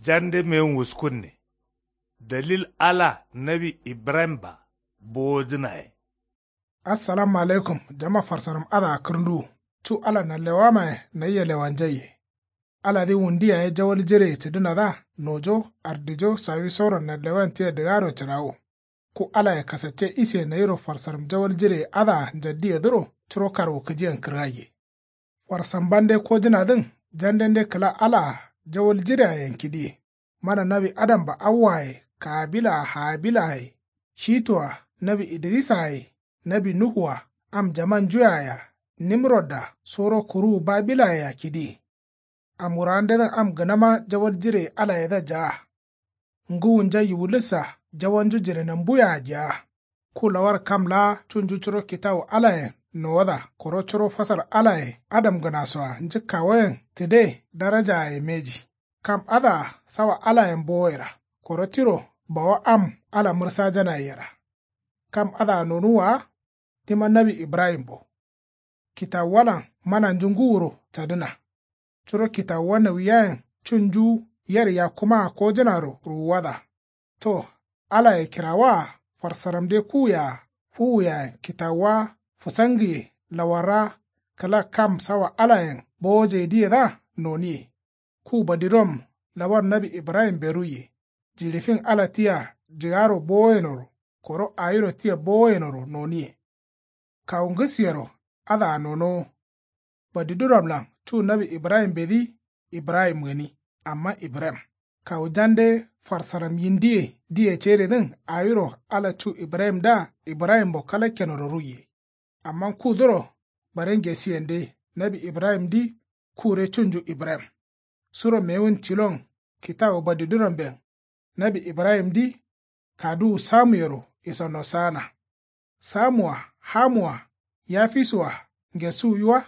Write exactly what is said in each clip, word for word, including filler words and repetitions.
Jande mewun wuskunne. Dalil ala nawi ibrahim-ba bowojǝnaye. Assalamu alaikum jama farsaram adǝa kǝrnduwu. Cu ala nanlewamaye nayia lewanjaiye. Aladǝ wundu yaye jawal jireye cǝdǝnadǝa nojo ardijo sawisoro nanlewan tia dǝgaro cǝrawo. Ku alaye kasacce isiye nayiro farsaram jawal jireye adǝa njaddiyedǝro curo karwukǝjiyen kǝrgaiye. Farsambande kojǝnadǝn jandende kǝla alaa jawal jireayen kidǝye. Mana nawi adam-ba awwaye kaabilaa haabilaaye shitu-a nawi idirisaa ye nawi nuhu-a am jamanju yaye-a nimrod-a soro kuruwu babilaye-a kidǝye. Am wurandedǝn am gǝnama jawal jireye alayedǝa jaa. Ngǝwunja yiwulissa jawanju jirenambuye-a jaa. Ku lawar kam laa cunju curo kitawu alayen nowada koro curo fasal alaye adamgǝnaso-a njǝkkawoyen tǝde darajaaye mbeji. Kam adǝa sawa alayen bowoyera koro tiro bawa am ala mǝrsajanaye yera. Kam adǝa nonuwwa wa tima nawi ibrahim-bo. Kitawuwalan mananju ngǝwuro cadǝna. Curo kitawuwa nawiyayen cunju yer yakkumaa kojǝnaro ruwuwada. To alaye kirawaa farsaramde kuwuye-a fuwuyayen kitawuwa fǝsangǝye lawarra kǝla kam sawa alayen bowojeidǝyedǝa noniye. Ku badirom lawar nawi ibrahimbe ruiye. Jiɍi fin ala tia jǝgaro bowoyenoro koro awiro tia bowoyenoro noniye. Kawu ngǝsiyero adǝa nonowo. Badiduramlan cu nawi ibrahimbedǝ ibrahim gǝni amma ibrahim. Kawu jande farsaram yindiye diye ceredǝn awiro ala cu ibrahimdǝa ibrahimbo kalakkenoro ruiye. Amma kuduro bare ngesiyende nawi ibrahimdǝ kure cunju ibrahim. Suro mewun tilon kitawu badiduramben nawi ibrahimdǝ kaduwu samuyero isonno saana. Samu-a hamu-a yafisu-a ngesuwuyi wa.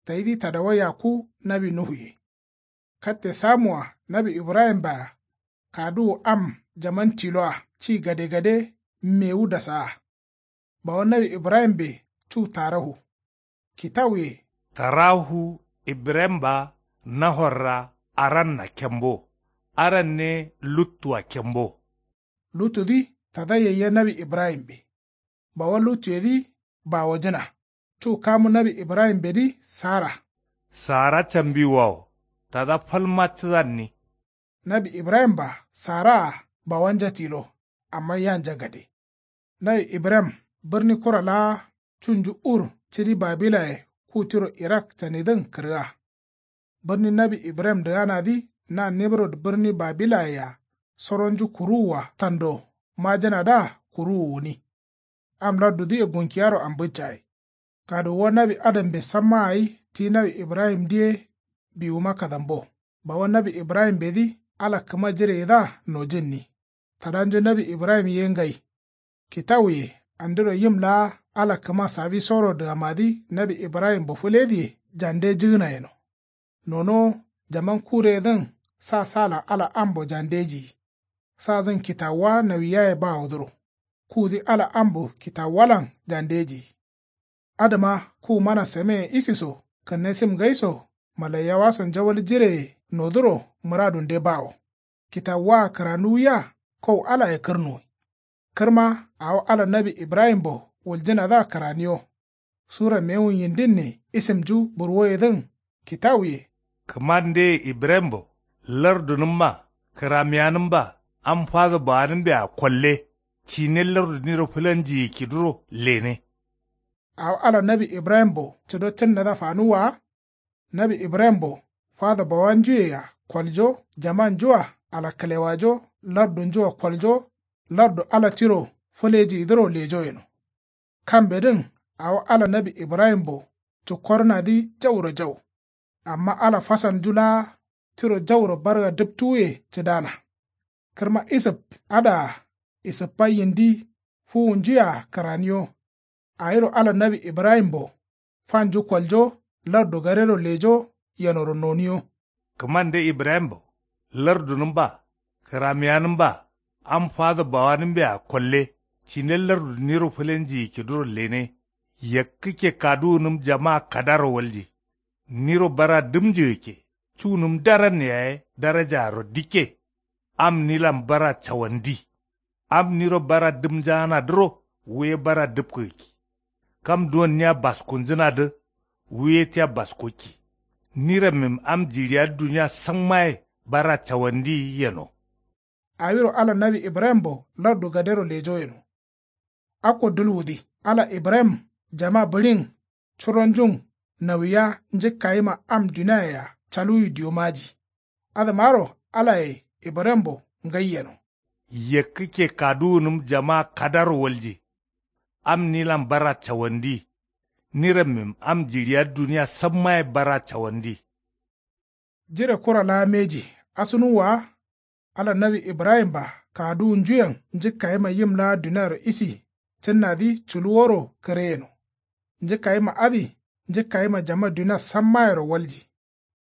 Tayidǝ tadawa yakku nawi nuhuye. Katte samu-a nawi ibrahim-bea kaduwu am jaman tilo-a ci gadegade mewu dasaa. Bawa nawi ibrahimbe cu tarahu. Kitawuye. Tarahu ibrahim-ba nahorra aranna kembo. Aranne luttu-a kembo. Luttudǝ tada yaiya nawi ibrahimbe. Bawa luttuyedǝ bawojǝna. Cu kamu nawi ibrahimbedǝ sara. Sara cambiwawo tada falma cǝdanni. Nawi ibrahim-ba sara-a bawanja tilo. Amma yanja gade. Nawi ibrahim bǝrni kura laa cunju ur cidi babilaye ku tiro irak canidǝn kǝrga. Bǝrni nawi ibrahim dǝganadǝ na nimrod bǝrni babilaye-a soronju kuruwu-a tando majǝnadǝa kuruwu wuni. Am lardudǝye gunkiyaro ambǝccaye. Kaduwuwa nawi adambe samma gai ti nawi ibrahimdǝ ye biwuma kadambo. Bawa nawi ibrahimbedǝ ala kǝma jireyedǝa nojǝnni. Tadanju nawi ibrahim ye ngai. Kitawuye andiro yim laa ala kǝma sawisoro dǝgamadǝ nawi ibrahimbo fǝledǝye jande jǝgǝna yeno. Nonowo jaman kureyedǝn sa salan ala ambo jandejiyi. Sadǝn kitawuwa nawiyaye bawodǝro. Kudǝ ala ambo kitawuwalan jandejiyi. Adǝma ku mana sameyen isiso kǝnne sim gaiso malaiyawaso njawal jireye noduro mǝradunde bawo. Kitawuwa-a kǝranuwwiya kau alaye kǝrnuwi. Kǝrma awo ala nawi ibrahimbo wuljǝnadǝa kǝraniyo. Sura mewun yindinne isimnju burwoyedǝn kitawuye. Kǝmandeye ibrahimbo lardunǝmma kǝramiyanǝmba am fado bawanǝmbea kolle. Cine lardu niro fǝlanjiyi kiduro lene. Awo ala nawi ibrahimbo cǝdo cǝnnadǝa fanuwwa wa. Nawi ibrahimbo fado bawanjuyea koljo jamanju-a alakkǝlewajo lardunju-a koljo lardu ala tiro fǝlejiyidǝro lejo yeno. Kambedǝn awo ala nawi ibrahimbo cǝkkorǝnadǝ jauro jau. Amma ala fasalnju laa tiro jauro barga dǝptuwuye cǝdana. Kǝrma isǝp adǝa isǝppa yindi fuwunjuyea kǝraniyo. Awiro ala nawi ibrahimbo fanju koljo lardu gadero lejo yenoro noniyo. Kǝmande ibrahimbo lardunǝmba kǝramiyanǝmba am fado bawanǝmbea kolle cine lardu niro fǝlenjiyi kiduro lene. Yakkǝkke kaduwunǝm jama kadaro walji. Niro bara dǝmnjǝgǝkke cunǝm daran yaye darajaaro dikke. Am nilan bara cawandi. Am niro bara dǝmjaanadǝro wu ye bara dǝpkǝgǝkki. Kam duwon nia baskunjǝnadǝ wu ye tia baskokki. Nirammim am jiɍiyadǝ dunia sammaye bara cawandi yeno. Awiro ala nawi ibrahimbo lardu gadero lejo yeno. Akko dulwudi ala ibrahim jama bǝɍin curonjun nawiya njǝkkayima am duniaye-a caluwi diyo maji. Adǝmaro alaye ibrahimbo ngai yeno. Yakkǝkke kaduwunǝm jama kadaro walje. Am nilan bara cawandi. Nirammim am jiɍiyadǝ dunia sammaye bara cawandi. Jire kura laa mbeji asunuwwa wa. Ala nawi ibrahimba kaduwunjuyen njǝkkayima yim laa duniaro isi cǝnnadǝ culuworo kǝre yeno. Njǝkkayima adǝ njǝkkayima jama dunia sammayero walji.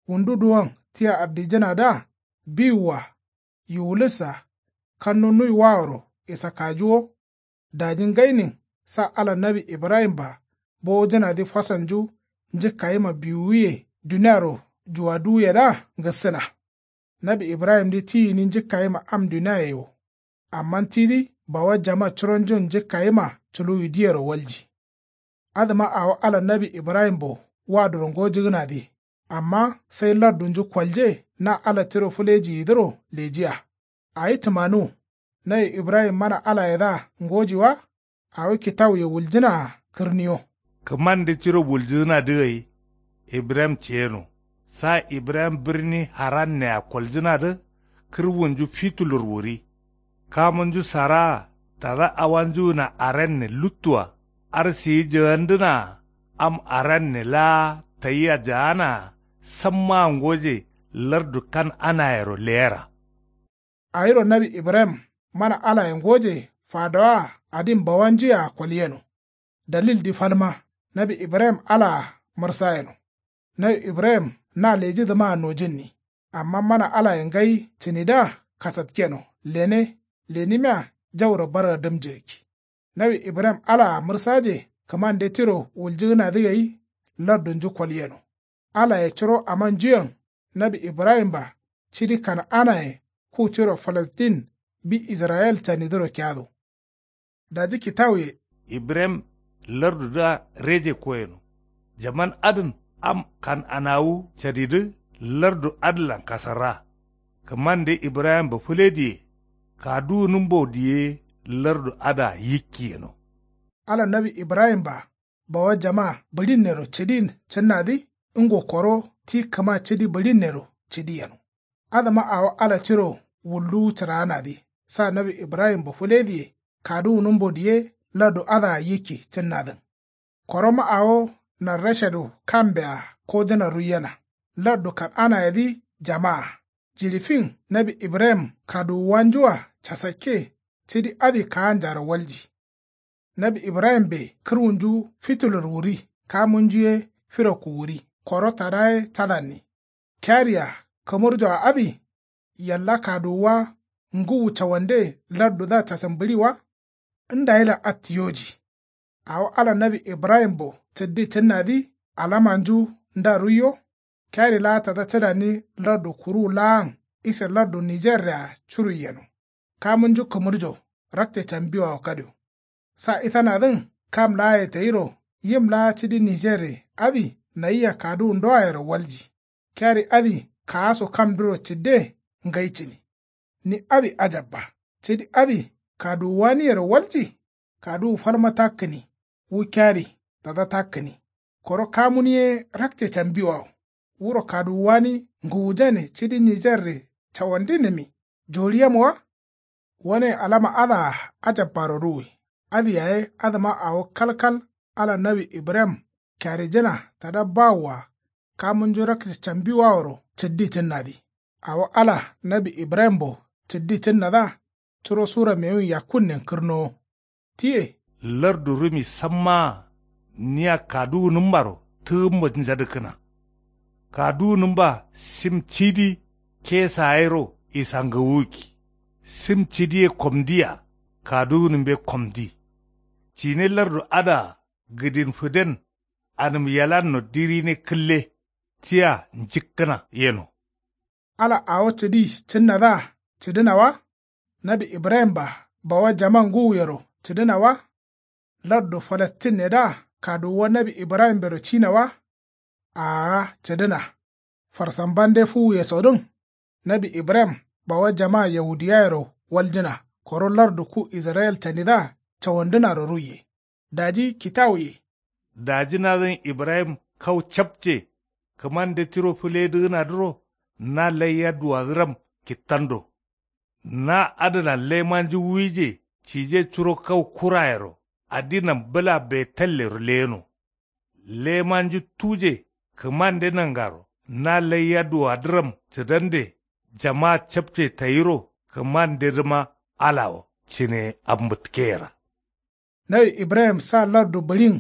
Wundu duwon tia ardijǝnadǝa biwua yiwulǝssa kannu nuiwaworo isakkajuwo. Daji ngainin sa ala nawi ibrahimba bowojǝnadǝ fasalnju njǝkkayima biwuwiye duniaro juwaduwuyedǝa ngǝssǝna. Nawi ibrahimdǝ ti gǝni njǝkkayima am duniaye wo. Amma tidǝ bawa jama curonjun njǝkkayima culuwidǝyero walji. Adǝma awo ala nawi ibrahimbo waduro ngojǝgǝnadǝ. Amma sai lardunju kolje na ala tiro fǝlejiyidǝro lejiya. Awi tǝmanuwu nawi ibrahim mana alayedǝa ngoji wa. Awo kitawuye wuljǝnaa kǝrniyo. Kǝmande tiro wuljǝgǝnadǝ gai ibrahim ceyeno. Sa ibrahim bǝrni harannea koljǝnadǝ kǝrwunju fitulur wuri. Kamunju saraa tada awanjugǝna aranne luttua. Arsiyi jagandǝnaa am aranne laa tayia jaanaa sammaa ngoje lardu kan'anayero leyera. Awiro nawi ibrahim mana alaye ngoje fadawaa adin bawanjuyea kolyeno. Dalildi falma nawi ibrahim alaa mǝrsayeno. Nawi ibrahim na lejidǝmaa nojǝnni. Amma mana alaye ngai cǝnidǝa kasatkeno lene lenimia jauro barga dǝmjǝgǝkki. Nawi ibrahim alaa mǝrsaje kǝmande tiro wuljǝgǝnadǝ gai lardunju kolyeno. Alaye curo amanjuyen nawi ibrahimba cidi kan'anaye ku tiro falastin bi israyil canidǝro kiyado. Daji kitawuye ibrahim lardudǝa reje koyeno. Jaman adǝn am kan'anawu cadidǝ lardu adǝlan kasarra. Kǝmande ibrahimbo fǝlediye kaduwunǝmbo diye lardu adǝa yikki yeno. Ala nawi ibrahimba bawa jama bǝɍinnero cǝdin cǝnnadǝ ngo koro ti kǝma cǝdi bǝɍinnero cǝdi yeno. Adǝma awo ala tiro wulluwu cǝraanadǝ sa nawi ibrahimbo fǝlediye kaduwunǝmbo diye lardu adǝa yikki cǝnnadǝn. Koroma awo narrashadu kambea kojǝna ruiyena. Lardu kan'anayedǝ jamaa jiɍi fin nawi ibrahim kaduwuwanjua casakke cǝdi adǝ kaanjaro walji. Nawi ibrahimbe kǝrwunju fitulur wuri kamunju ye firakku wuri koro tada ye cadanni. Kiyari-a kǝmurjoa adǝ yalla kaduwuwa ngǝwu cawande lardudǝa casǝmbǝɍi wa. Ndayilan attiyoji. Awo ala nawi ibrahimbo cǝddi cǝnnadǝ alamanju nda ruiyo. Kiyari laa tada cǝdanni lardu kuruwu laan ise lardu nijerre-a curui yeno. Kamunju kǝmurjo rakce cambiwawo kadio. Sa itanadǝn kam laaye tayiro yim laa cǝdi nijerre adǝ nayia kaduwundoayero walji. Kiyari adǝ kaaso kamduro cǝdde ngai cǝni. Ni adǝ ajabba cǝdi adǝ kaduwuwaniyero walji. Kaduwu falma takkǝni wu kiyari tada takkǝni. Koro kamun ye rakce cambiwawo wuro kaduwuwani ngǝwujane cǝdi nijerre cawandinǝmi joriyemowa. Wane alama adǝa ajabbaro ruwi. Adǝ yaye adǝma awo kalkal ala nawi ibrahim kiyarijǝna tada bawoa kamunju rakce cambiwaworo cǝddi cǝnnadǝ. Awo ala nawi ibrahimbo cǝddi cǝnnadǝa curo sura mewun yakkunnen kǝrnowo. Tiye lardu rǝmi sammaa nia kaduwunǝmmaro tǝgǝmmo njadǝkkǝna. Kaduwunǝmba sim cidi kesa yero isangawukki. Sim cidi ye komdiya kaduwunǝmbe komdi. Cine lardu adǝa gǝdin fǝden anǝm yalanno dirine kǝlle tia njǝkkǝna yeno. Ala awo cǝdi cǝnnadǝa cǝdǝna wa? Nawi ibrahim-a bawa jama ngǝwuyero cǝdǝna wa? Lardu falastinnedǝa kaduwuwa nawi ibrahim-ero cina wa? Aa cǝdǝna. Farsambande fuwuyesodǝn nawi ibrahim bawa jama yahudiyayero waljǝna koro lardu ku israyil canidǝa cawandǝnaro ruiye. Daji kitawuye. Dajǝnadǝn ibrahim kau capce kǝmande tiro fǝledǝgǝnadǝro na laiya duwadǝram kittando. Na adǝlan lemanju wuije cije curo kau kurayero adinam bǝla betallero leyeno. Lemanju tuje kǝmande nangaro na laiya duwadǝram cǝdande jama capce tayiro kǝmandedǝma alawo cǝne ambǝtkeyera. Nawi ibrahim sa lardu bǝɍin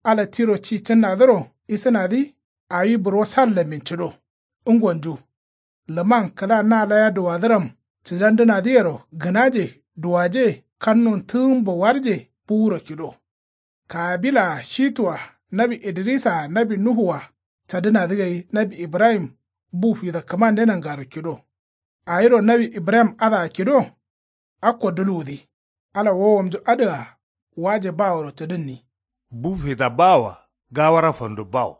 ala tiro ci cǝnnadǝro isǝnadǝ awi burwo sallanmin cǝdo. Ngonju lǝman kǝla na laiya duwadǝram cǝdandǝnadǝyero gǝnaje duwaje kannun tǝgǝmbo warje buwuro kido. Kabila-a shitu-a nawi idrisa-a nawi nuhu-a cadǝnadǝ gai nawi ibrahim bu fida kǝmande nangaro kido. Awiro nawi ibrahim adǝa kido. Akko dulwudǝ ala wowomnju adǝa waje baworo cǝdǝnni. Bu fida bawoa gawara fandu bawo.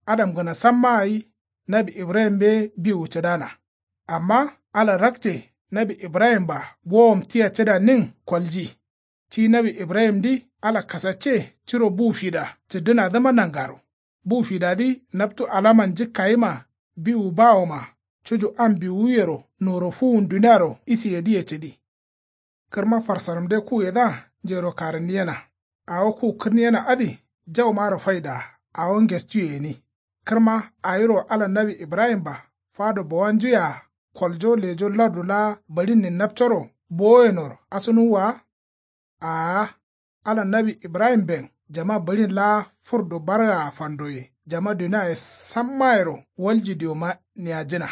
Adamgǝna samma gai nawi ibrahim mbe biwu cǝdana. Amma ala rakce nawi ibrahim-a gowom tia cǝdannin kolji. Ti nawi ibrahimdǝ ala kasacce curo bu fida cǝddǝnadǝma nangaro. Bu fidadǝ naptu alaman njǝkkayima biwu bawoma cuju am biwuyero noro fuwun duniaro isiyedǝye cǝdi. Kǝrma farsaramde kuyedǝa njero karǝnniyena. Awo ku kǝrniyena adǝ jaumaro faidaa awo ngestuyegǝni. Kǝrma awiro ala nawi ibrahim-a fado bawanjuyea koljo lejo lardu laa bǝɍinnin napcoro bowoyenoro asǝnuwwa wa. Aa ala nawi ibrahimben jama bǝɍin laa fǝrdu bargaa fandoye jama duniaye sammayero walji dioma niyajǝna.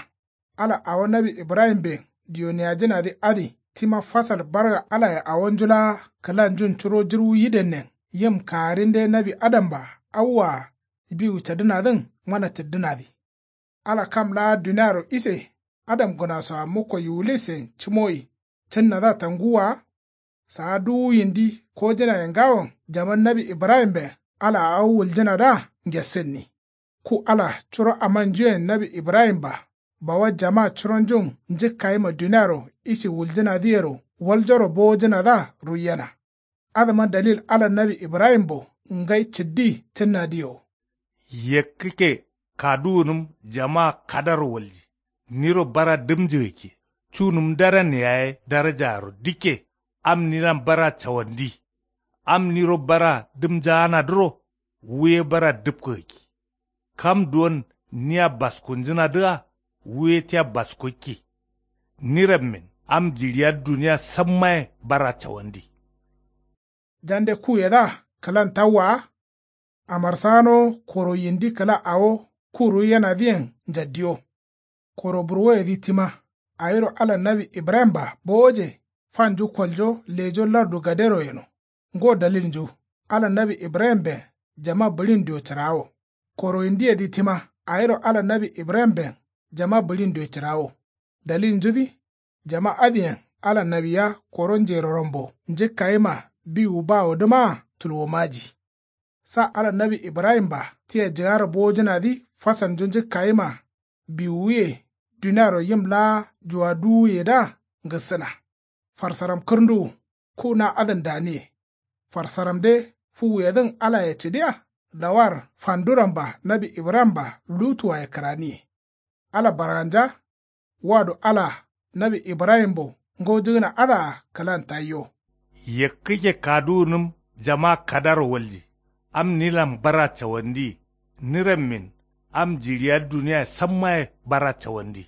Ala awo nawi ibrahimben diyo niyajǝnadǝ adǝ tima fasal barga alaye awonju laa kǝlanjun curo jǝrwu yidennen yim kaarinde nawi adam-a awwa-a biwu cadǝnadǝn mana cǝddǝnadǝ. Ala kam laa duniaro ise adamgǝnasoa mukko yiwulisen cǝmoyi cǝnnadǝa tanguwwa wa. Saa duwu yindi kojǝnaye ngawon jaman nawi ibrahimben alaa awo wuljǝnadǝa ngessǝnni. Ku ala curo amanjuyen nawi ibrahim-a bawa jama curonjun njǝkkayima duniaro isi wuljǝnadǝyero waljoro bowojǝnadǝa ruiyena. Adǝma dalil ala nawi ibrahimbo ngai cǝddi cǝnnadǝye wo. Yekkǝkke kaduwunǝm jama kadaro walji. Niro bara dǝmjǝgakki cunǝm daran yaye darajaaro dikke. Am nilan bara cawandi. Am niro bara dǝmjaanadǝro wuye bara dǝpkǝgakki. Kam duwon nia baskunjǝnadǝa wuye tia baskokki. Nirammin am jiɍiya duniya sammaye bara cawandi. Jande kuyedǝa kǝlan tawwa wa. Amarsagano koro yindi kǝla awo ku ruiyenadǝyen njaddiyo. Koro burwoyedǝ tima awiro ala nawi ibrahim-a bowoje fanju koljo lejo lardu gadero yeno. Ngo dalilnju ala nawi ibrahimben jama bǝɍin diyo cǝrawo. Koro yindiyedǝ tima awiro ala nawi ibrahimben jama bǝɍin diyo cǝrawo. Dalilnjudǝ jama adǝyen ala nawiya koro njerorambo njǝkkayima biwu bawodǝmaa tulwomaji. Sa ala nawi ibrahim-a tia jǝgaro bowojǝnadǝ fasalnju njǝkkayima biwuye duniaro yim laa juwaduwuyedǝa ngǝssǝna. Farsaram kǝrnduwu ku na adǝn daniye. Farsaramde fuwuyedǝn alaye cǝdiya lawar fanduramba nawi ibrahim-a lutuwaye kǝraniye. Ala barganja wado ala nawi ibrahimbo ngaujǝgǝna adǝa kǝlan tayyo. Yekkǝkke kaduwunǝm jama kadaro walji. Am nilan bara cawandi. Nirammin am jiɍiya duniyaye sammaye bara cawandi.